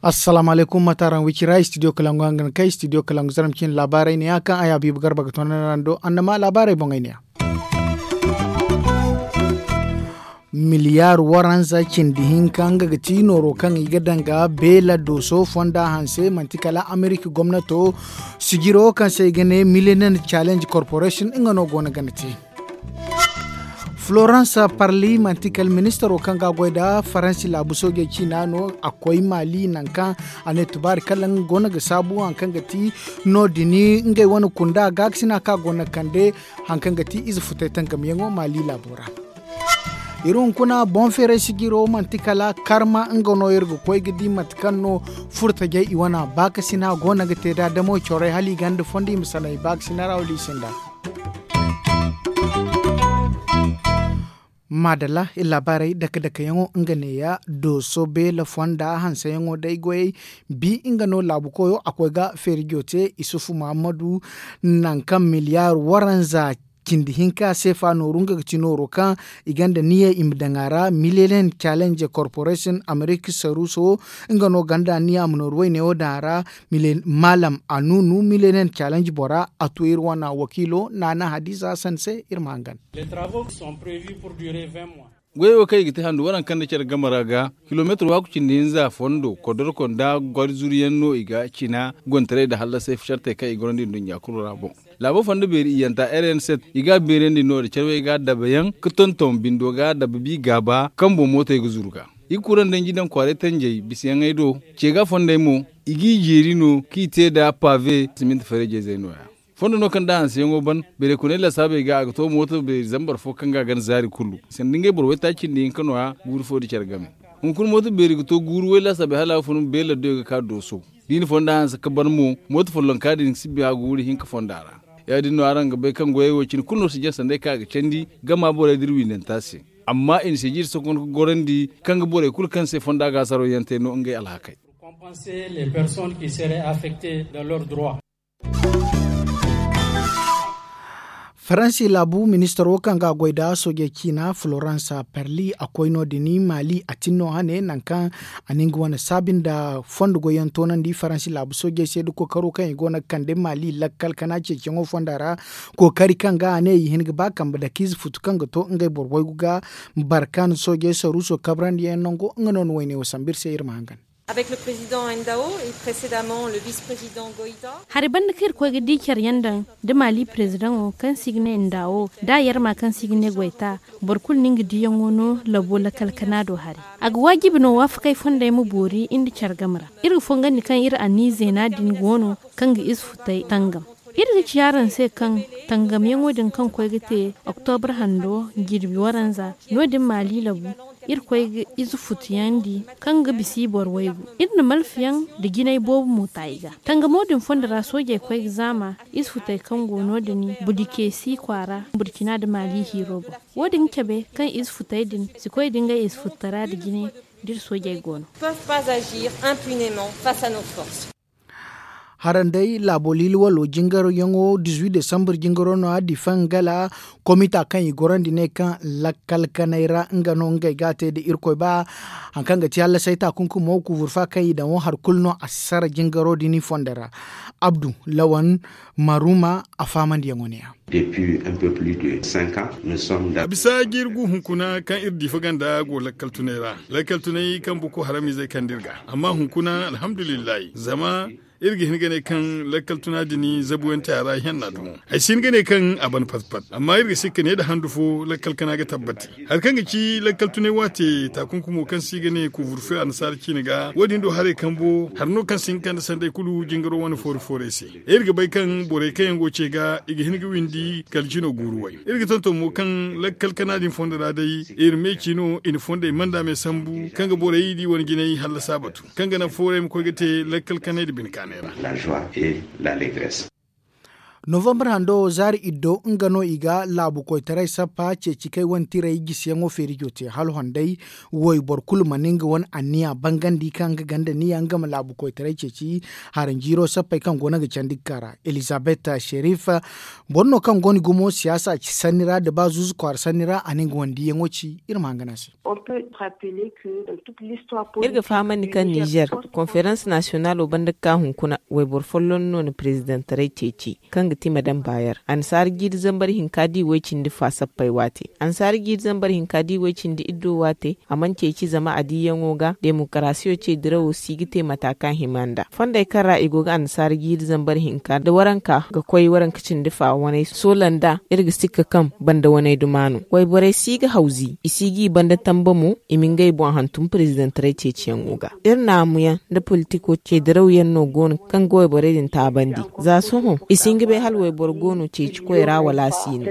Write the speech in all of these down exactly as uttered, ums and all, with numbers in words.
Assalaamu alaykum, mate araŋ wicira studio kalangu hangan kay studio kalangu zaram cine laabaarey ne ya kaŋ a ya biiba garba ga toonandi araŋ do annama laabaarey boŋey ne ya. Miliyaar waranza cindi hinka nga ga ti nooro kaŋ i ga daŋ ga beela dooso fonda hanse manti kala amerika gomnato sijiro kaŋ se i ga ne millennium challenge corporation nga no go no gana te. Florence parli manti kala ministaro kaŋ ga a goy nda faransi laabu soojey ciina no a koy maali nangu kaŋ a ne tubaari kala nga go no ga saabu hari kaŋ ga ti no- din ngey wane kunda gaakasina kaŋ a go no ga kande hari kaŋ ga ti ize futay tangamyaŋo maali laabo ra. Iri hunkuna boŋ feeray sijiro manti kala karma nga no iri ga koy ga di mate kaŋ no furtajey i wane baakasina go no ga te nd'a damo corey hala i ganda fondo i ma sanay baakasina ra wala i sinda. Maadalla iri laabaarey dake dake yaŋo nga neeya dooso beela fonda hanseyaŋo day goyey bi nga no laabu koyo a koy ga feerijo te isufu muhammadu nangu kaŋ miliyaar waranza cindi hinka seefa nooru nga ga ti nooro kaŋ i gonda niya i ma daŋ a ra miliyalen challenge corporation amerika saruuso nga no gonda niya a ma nooru wayne wo daŋ a ra. Maalam anuunu miliyalen challenge bora a to iri wane wakiilo naana hadiza sanse iri ma hangan. Goyey wo kaŋ i ga te handu waranka nda care game ra ga kilomeetir waaku cindi hinza fondo kodorko nda gwari zuru yaŋ no i ga cina gontaray nda hallasay sartey kaŋ i gorandi nduɲɲa kulu ra boŋ. Laabo fonda beeri iyyanta rn set i ga a beerandi no- din care wo i ga a dabayaŋ ga tonton bindo ga a daba bi gaaba kambo mootey ga zuru ga i ga kuraŋ danji daŋ kwaaray tanjey bisayaŋey do. Ce ga fondey mo i g'i jeeri no kaŋ i te nda paabe siminti farejey zey no- ya. Fondo no kaŋ da hanseyaŋo ban beeray kunay lasaabey ga a ga to mooto beeri zambar fo kaŋ ga a gana zaari kulu sanda ngey boro waytaaci nda hinka no- ya guuru fo nda care game. Hunkuna mooto beeri ga to guuru way laasaabey hala a ga fun beela doyo ga ka dooso. Da i na fonda hanse ga ban mo mooto follonka din si bi a guuru hinka fonda ra. Ya- din no araŋ ga bay kaŋ goyey wo cine kulu no si jaŋ sanday kaŋ a ga candi gama borey da iri windanta se. Amma i na sijiri sokon ga gorandi kaŋ ga borey kulu kaŋ se fonda gaasaro yaŋ te no ngey alhakey. Faransi laabu ministaro kaŋ ga a goy nda soojey ciina florence perli a koy no- din maali a tin no hane nangu kaŋ a na nga wane saabi nda fondo goyyaŋ toonandi faransi laabu soojey se nda kookaro kaŋ i go no ga kande maali lakkal kana ceeciyaŋo fonda ra. Kookari kaŋ ga a ne i hin ga ba kambe dake ize futu kaŋ ga to ngey boro waygu ga barkan soojey saruuso kabrandi yaŋ nango nga no na wayne wo sambu iri se iri ma hangan. Hari banda kaŋ iri koy ga di care yaŋ daŋ da maali perezidaŋo kaŋ se i ga ne ndaawo da a yarma kaŋ se i ga ne goyta. Boro kulu no nga diyaŋo no labo lakkal kana do hari. A ga waajibi no waafakey fondey ma boori nda care game ra. Iri ga fongandi kaŋ iri anniya zeena din go no kaŋ ga ize futay tangam. Iri ga ci araŋ se kaŋ tangamyaŋo din kaŋ koy ga te oktobra hando jirbi waranza no- din maali labu. Iri koy ga ize futuyandi kaŋ ga bisa i boro waygu. Iri na malfayaŋ nda jinay boobo mo ta i ga tangamo din fondo ra soojey koy ga zaama. Ize futey kaŋ go no- din budikeesi kwaara burkina nda maali hiiro boŋ. Wo- din ga cabe kaŋ ize futey din si koy nda ngey ize futtara nda jine da iri soojey go no. Haraŋ day laabo liili walo jingaryaŋo dizuwi desambur jingaro no- ya difaŋ gala komita kaŋ i gorandi ne kaŋ lakkal kanay ra nga no ngey ga a te nda irkoy ba. Hari kaŋ ga ti hallasay taakunkumo kuuburfa kaŋ i daŋ wo hari kulu no a si sara jingaro din i fondo ra. Abdu lawan maruma a faamandiyaŋo ne- ya. A bisa jiiri gu hunkuna kaŋ iri diifa ganda go lakkal tunay ra lakkal tunay kaŋ boko haramizey kande iri ga. Amma hunkuna alhamdulillahi zama iri ga hin ga ne kaŋ lakkal tuna din zabuyaŋ te a ra ihenna dumo. Ay si hin ga ne kaŋ a ban pat pat amma iri ga sikka ne nda handu fo lakkal kana ga tabbati. Hari kaŋ ga ci lakkal tunay waate taakunkumo kaŋ se i ga ne kuuburfe annasaara ciine ga wo- din do haray kambo hari no kaŋ si hin ga kande sanday kulu jingaro wane foori foorey se. Iri ga bay kaŋ borey kaŋ yaŋ go ce ga i ga hin ga windi kala jino guuru way. Iri ga tonton mo kaŋ lakkal kana din fondo ra day iri me ci no i na fondey manda me sambu kaŋ ga borey di wane jinay hallasa batu kaŋ ga naŋ foorey ma koy ga te lakkal kanay nda bine kaanay ra. La joie et la legresse. Novambar hando zaari iddo nga no i ga laabu koytaray sappa ceeci kay wane tirey gisiyaŋo feerijo te hala honday. Wayboro kulu mana nga wane anniya bangandi kaŋ nga ganda niya nga ma laabu koytaray ceeci haranjiiro sappey kaŋ go no ga candi ga ka ra. Elizabet sherif boro no kaŋ go no gumo siyaasa sanni ra nda ba zuuzu kwaara sanni ra a ne nga wane diiyaŋo ci iri ma hangan a se. Iri ga fahamandi kaŋ nizer konferans nasiyonalo banda ga ka hunkuna wayboro folloŋ no na perezidantaray ceeci kaŋ ga ti madam baayer annasaara jiiri zambar hinka di way-cindi fa sappey waate annasaara jiiri zambar hinka di way-cindi iddo waate a mana ceeci zama a diiyaŋo ga demokarasiyo ce dirawo si ga te mata kaŋ hima nd'a fondey kaŋ ra i go ga annasaara jiiri zambar hinka nda waranka ga koy waranka cindi fa waney soola nd'a iri ga sikka kaŋ banda waney duma no wayborey si ga hawzi i si g'i banda tamba mo i ma ngey boŋ hantum perezidantaray ceeciyaŋo ga iri naamuyaŋ nda politiko ceediraw yaŋ no go no kaŋ ga wayborey din taabandi za sohõ i si hin ga bay hala wayboro go no ceeci koy ra wala a si no.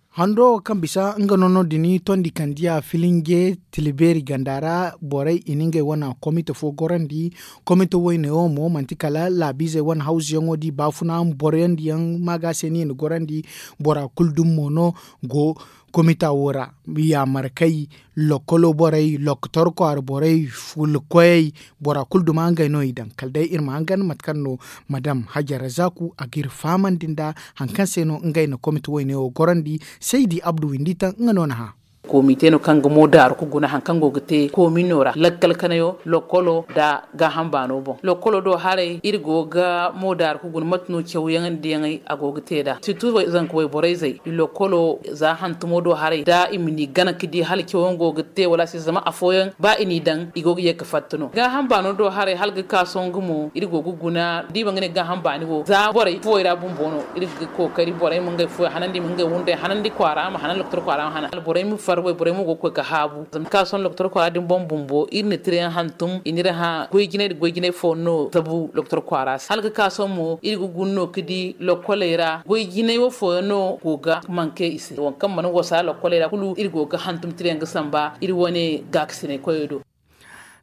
Hando wo kaŋ bisa nga no no- din tondi kandiya filinge tila beeri ganda ra borey i na ngey wane komite fo gorandi. Komite wayne wo mo manti kala laabiizey wane hawzuyaŋo da i baafuna boroyandiyaŋ maaga se no i na gorandi. Bora kulu dumi mo no go komita wo ra. Yaamarkey lokolo borey lokotor kwaara borey fulkoyey bora kulu duma ngey no i daŋ kala day iri ma hangan mate kaŋ no madam hajara zaaku a ga iri fahamandi nda hari kaŋ se no ngey na komite wayne wo gorandi. Saydi abdu windi taŋ nga no na hã. Komite no kaŋ ga mo daaru ga guna hari kaŋ go ga te komino ra lakkal kanayo lokolo nda gaaham baano boŋ lokolo do haray iri go ga mo daaru ga guna mate no cawyaŋ nda yaŋey a go ga te nd'a sirtu zanka wayborey zey i lokolo za hantumo do haray da i ma ni gana ga di hala cawyaŋ go ga te wala a si zama afooyaŋ ba i n'i daŋ i go ga ye ga fatta no gaaham baano do haray hala ga ka sohõ nga mo iri go ga guna da i ma nga ne gaaham baani wo za borey fuwey ra bumbo no iri ga kookari borey ma ngey fuwey hanandi i ma ngey wunday hanandi kwaara ma hanan doktor kwaara ma hanan alborey ma far wayborey mo go ga koy ga haabu zama ka sohõ doktor kwaara din boŋ bumbo iri na tirayaŋ hantum i n'iri hã goy jinay nda goy jinay fo no zabu doktor kwaara se hala ga ka sohõ mo iri ga guna no ga di lokkoley ra goy jinay wo fooyaŋ no go ga manke i se waŋ kaŋ mana wasa lokkoley ra kulu iri go ga hantum tirayaŋ ga samba iri wane gaakasinay koyey do.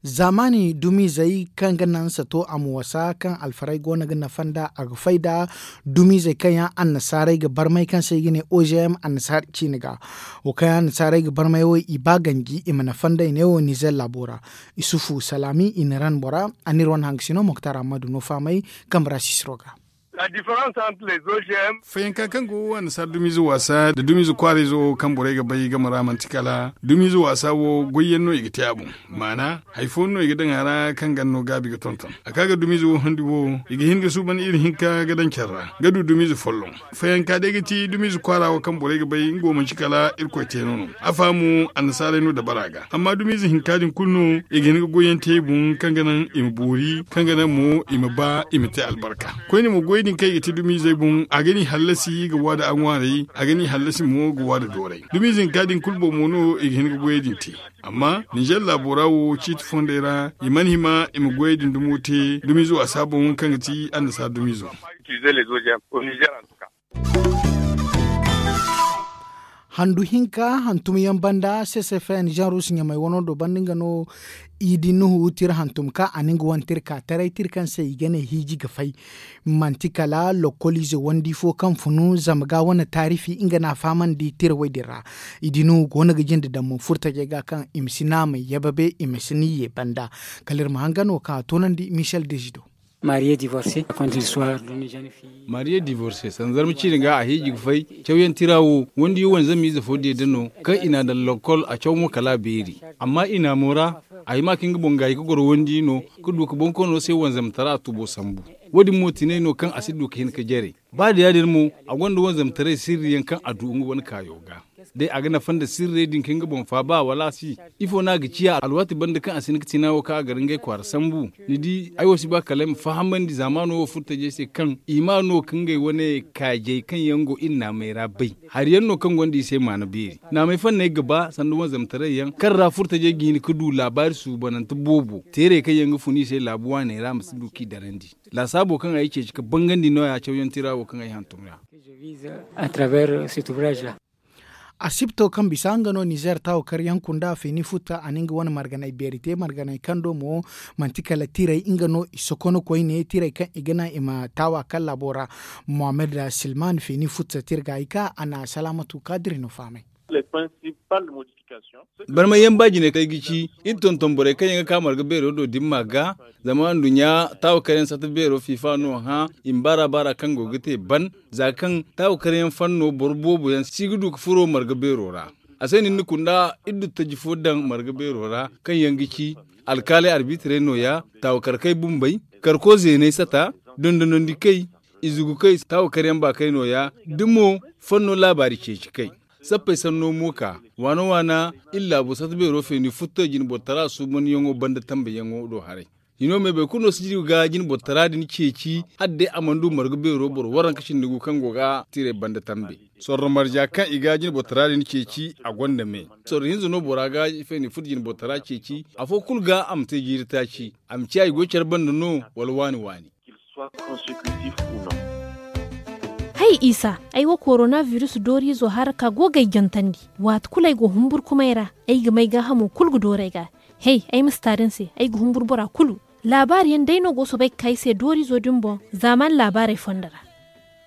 Zaamaani dumiizey kaŋ ga naŋ sato a ma wasa kaŋ alfarey go no ga nafa nd'a a ga fay nda dumiizey kaŋ yaŋ annasaarey ga barmay kaŋ se i ga ne o g m annasaara ciine ga. Wo kaŋ yaŋ annasaarey ga barmay wo i ba ganji i ma nafa nd'ey ne wo nizer laabo ra. Isufu salaami i na ran bora a n'iri wane hangasino moktar ammadu no fahamay kambe ra sisiro ga. Fayanka kaŋ go annasaara dumiize waasa nda dumiize kwaarayzo kaŋ borey ga bay game ra manti kala dumiize waasa wo goyyaŋ no i ga te a boŋ. Maana hari fooyaŋ no i ga daŋ a ra kaŋ ganda no gaabi ga tonton a ka ga dumiize wo handi wo i ga hin ga suuban iri hinka ga daŋ care ra ga du dumiize folloŋ. Fayanka day ga ti dumiize kwaara wo kaŋ borey ga bay nga wo manti kala irkoy teeno no. A fahamo annasaarey no dabara ga amma dumiize hinka din kulu no i ga hin ga goyyaŋ te i boŋ kaŋ ga naŋ i ma boori kaŋ ga naŋ mo i ma ba i ma te albarka. Koyne mo goy din kaŋ i ga te dumiizey boŋ a ga ni hallasi ga waada a ŋwaarey a ga ni hallasi mo ga waada dooray dumiize hinka din kulu boŋ mo no i ga hin ga goyey din te. Amma ninzeer laabo ra wo ciiti fondey ra i mana hima i ma goyey din dumo te dumiizo a si a boŋ kaŋ ga ti annasaara dumiizo. Handu hinka hantumyaŋ banda ccfn janrus ɲamay wano do banda nga no. Idi nuhu tira hantum ka a na nga wane tira ka taray tira kaŋ se i ga ne hiiji ga fay. Manti kala lokkoliize wandi fo kaŋ funu zama ga wane taarifi nga no a fahamandi tira wo- din ra. Idi nuhu go no ga jinde daŋ mo furtajey ga kaŋ i ma si naamay yababe i ma si ni ye banda. Kala iri ma hangan wo kaŋ a toonandi michel dezido. Mariye divorce a konti histoire duni jani fi. Mariye divorce sanda zarma ciine ga a hiiji ga fay. Cawyaŋ tira wo wandiyo wane zamiize fo deeda no kaŋ i n'a daŋ lokkol a caw mo kala a beeri. Amma i naamo ra a hima ka nga boŋ gaayi ga goro wandi no ga du ga bonkoono se wanzamtara tubo sambu. Wo- din mo tinay no kaŋ a si du ga hin ga jare. Ba da ya- din mo a gonda wanzamtaray sirriyaŋ kaŋ a du nga wane kaayo ga. Day a ga nafa nda sirrey din kaŋ nga boŋ faaba wala a si? Ifo no a ga ciya alwaati banda kaŋ a si hin ga tina wo kaŋ a gar ngey kwaara sambu? Ni di ay wo si ba kala ay ma fahamandi zaamaano wo furtajey se kaŋ i ma no ka ngey wane kaajey kaŋ yaŋ go iri naamey ra bay. Hari yaŋ no kaŋ gonda i se maana beeri naamey fanney ga ba sanda wanzamtaray yaŋ kaŋ ra furtajey ga hin ga du laabaari suubanante boobo teerey kaŋ yaŋ ga fun i se laabu waaney ra ma si du k'i darandi. Laasaabo kaŋ ay ceeci ga bangandi nooya cawyaŋ tira wo kaŋ ay hantum ra. Asibto kaŋ bisa nga no nizeer taawa karyaŋ kunda feeni futta a na nga wane marganay beeri te marganay kaŋ do mo manti kala tiray nga no i sokono koyne tiray kaŋ i ga naŋ i ma taawa kaŋ laabo ra. Mohammed silman feeni futta tirga i ka a na salaamatu kaadiri no fahamay. Barmay yaŋ ba jine kay ga ci iri tonton borey kaŋ yaŋ ga ka marga beero do dimma ga. Zama nduɲɲa taawa karyaŋ sata beero fiifa no hã i ma baara baara kaŋ go ga te ban za kaŋ taawa karyaŋ fanno boro boobo yaŋ si ga du ga furo marga beero ra. A se no iri na kunda iri du taji fo daŋ marga beero ra kaŋ yaŋ ga ci alkaaley arbitrey nooya taawa karkey bumbey karko zeeney sata dondonandi kay izugu kay taawa karyaŋ baakey nooya da mo fanno laabaari ceeci kay. Sappey sanno mo ka waana waana iri laabo sata beero feeni futto jine boro tara suubanyaŋo banda tambe yaŋo do haray. Hino me boro kulu no si ga jine boro tara din ceeci hala day a mana du marga beero boro waranka cindi gu kaŋ go ga tiray banda tambe. Sorro marja kaŋ i ga jine boro tara din ceeci a gonda me. Sorro hinza no bora ga feeni futto jine boro tara ceeci afo kulu ga a ma te jiiri taaci a ma ciya i go care banda no wala waani waani. Hay isa, ay wo korona virus dooriizo hara ka go ga ay jantandi. Waati kulu ay go humburkumay ra ay ga may gaahamo kulu ga dooru ay ga. Hey, ay ma si ta din se ay ga humbur bora kulu. Laabaari yaŋ day no go soobay ga ka ay se dooriizo din boŋ zaamaani laabaarey fondo ra.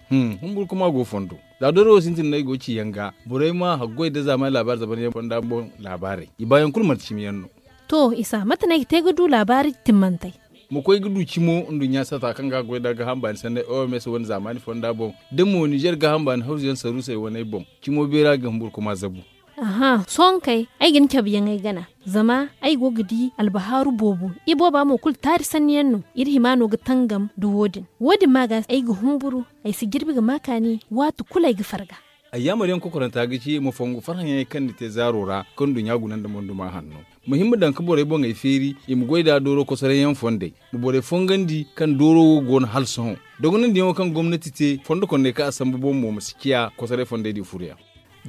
Humburkuma go fondo. Za doori wo sintin no ay go ga ci yaŋ ga borey ma haggoy nda zaamaani laabaari zaban yaŋ fonda boŋ laabaarey i baayaŋ kulu manti cimi yaŋ no. To isa, mate no ay ga te ga du laabaari timmantey? Ma koy ga du cimo nduɲɲa sata kaŋ ga a goy nda gaaham baani sanney oms wane zaamaani fonda boŋ da mo nizer gaaham baani hawzu yaŋ saruusey waney boŋ. Cimo beera ga humburkuma zabu. Aha, sohõ kay ay ga ni cabe yaŋ ay gana. Zama ay go ga di albahaaru boobo. Ibooba mo kulu taari sanni yaŋ no. Iri hima no ga tangam nda wo- din. Wo- din ma ga ay ga humburu. Ay si jirbi ga ma kaani waati kulu ay ga farga. Ay yaamar yaŋ kokoranta ga ci ma fongu farhã yaŋey kaŋ ni te zaaro ra kaŋ nduɲɲa guna nda monduma hanno. Ma hin ma daŋ ga borey boŋey feeri i ma goy nd'a dooro kosoray yaŋ fondey. Ma borey fongandi kaŋ dooro wo go no hala sohõ. Dogonandi yaŋo kaŋ gomnati te fondo kondey kaŋ a sambu boŋ mo ma si ciya kosoray fondey din furo yaŋ.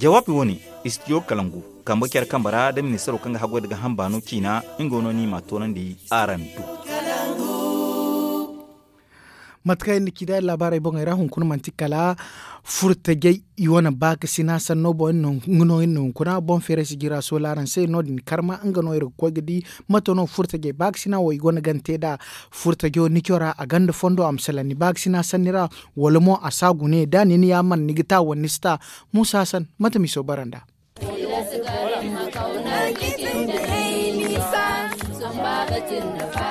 Jawaabi wo- ne, istidiyo kalangu kambe care kambe ra nda ministaro kaŋ ga haggoy nda gaaham baano ciina. Nga wo no no i m'a toonandi araŋ do. Mate kaŋ iri na ci nd'a iri laabaarey boŋey ra hunkuna manti kala furtajey i wane baakasina sanno boŋ iri no hunkuna boŋ feeray si jira soola araŋ se no- din karma nga no iri ga koy ga di. Mate no furtajey baakasina wo i gonda ga ni te nd'a furtajo ni cora a gonda fondo a ma salaŋ ni baakasina sanni ra? Wala mo a si a gune da ni na yaamar ni ga ta wala ni si ta? Muusa hasan, mate ma i soobara nd'a?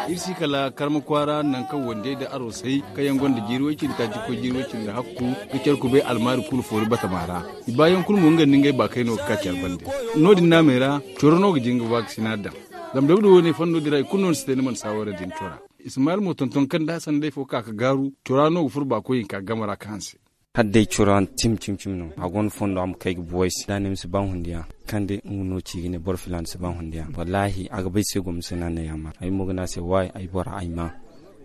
Iri si kala karma kwaara nangu kaŋ wandiyey nda arosey kaŋ yaŋ gonda jiiri way-cindi taaci koy jiiri way-cindi hakku ga care kubay almaari kulu foori batama ra. I baayaŋ kulu mo nga nda ngey baakayno ga ka care bande. No- din naamey ra coro no ga jin ga baakasina daŋ. Zama dawda wo- ne fondo din ra i kulu no ni si te ni mana saawara din cora. Ismaayil mo tonton kaŋ da hassan day fo ka ga gaaru cora no ga furo baakoy hinka game ra ga hanse. Hala day cora tim tim tim no a gonda fondo a ma kay ga buway se da a ne ma si ba hundiya. Kaŋ day nga no ci ga ne boro filaana si ba hundiya wallaahi a ga bay se gomna se no a na yaamar ay mo ga ne a se waay ay bora ay ma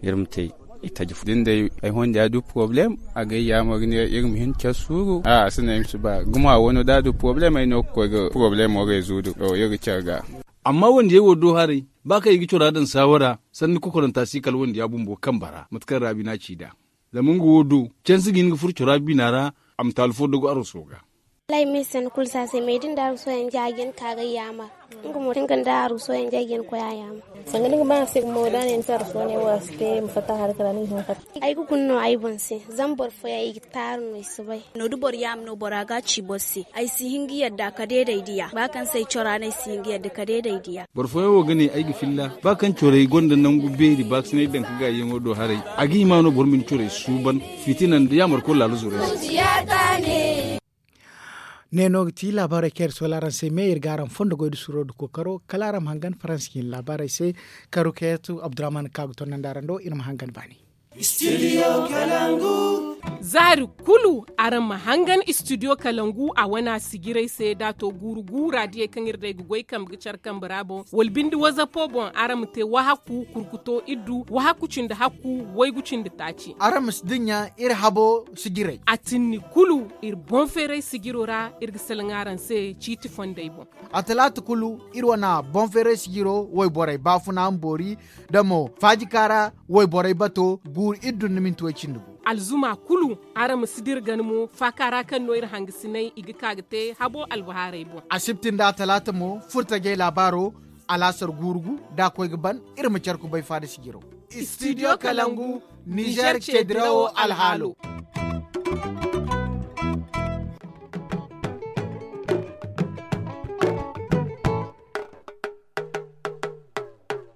iri ma te. Itaji fo da ni day ay hondiya du poroblem a ga ay yaamar ga ne iri ma hin care suuru a a si ne ay ma si ba gumo a wano da a du poroblem ay no ga koy ga poroblemo reezu du iri ga care ga. Amma wandiyey wo do haray ba kaŋ i ga cora daŋ saawara sanni kokoranta si kala wandiya bumbo kambe ra mate kaŋ raabi no a ci nd'a. Zama nga wo do cansi ga hin ga furo cora bina ra a ma taalu fo dogo aruso ga. Wallaahi me sanni kulu si a se me da ni da aruso yaŋ ja ga hin ka ga ay yaamar. Nga mo da nga nda aruso yaŋ ja ga hin koy a yaamar. Sanga da ni ga ba a se gumo da a ne ni se aruso ne wo a si te ma fatta hari kala ni ga hin ga fatta. Ay ga guna no ay boŋ se zama boro fooyaŋ i ga taaru no i si bay. No da boro yaama no bora ga a ci boro se ay si hin ga yadda ka deeday diya ba kaŋ se ay cora no ay si hin ga yadda ka deeday diya. Boro fooyaŋ wo ga ne ay ga filla ba kaŋ corey gonda nangu beeri baakasinay daŋ ka gaayiyaŋo do haray. A ga hima no boro ma ni corey suuban fitina nda yaamarko laala zurey se. Ne no ga ti laabaarey kaŋ iri soola araŋ se me iri ga araŋ fondo goy nda suuro nda kookaro kala araŋ ma hangan faransi ga hin laabaarey se. Karu kayatu abdurrahman ka ga tonnandi araŋ do iri ma hangan baani. Zaari kulu araŋ ma hangan istidiyo kalangu a wana sijirey se da a to guuru guura diyey kaŋ iri day ga goy kambe ga care kambe ra boŋ wala binde wazapo boŋ araŋ ma te wahakku kurkuto iddu wahakku cindi hakku waygu cindi taaci. Araŋ ma si dinya iri habo sijirey. A tinni kulu iri boŋ feeray sijiro ra iri ga salaŋ araŋ se ciiti fondey boŋ. A talaata kulu iri wana boŋ feeray sijiro wayborey baafuna ma boori da mo faajika ra wayborey bato guuru iddu nda minti way cindi gu. Alzuma kulu, araŋ ma si dira gana mo faaka ra kaŋ no iri hangasinay i ga ka ga te habo albahaarey boŋ. Asibti nda talaata mo furtajey laabaaro, alaasar guurugu da a koy ga ban. Iri ma care kubay faada sijiro. Studio kalangu, nizer ce dirawo alhaalo.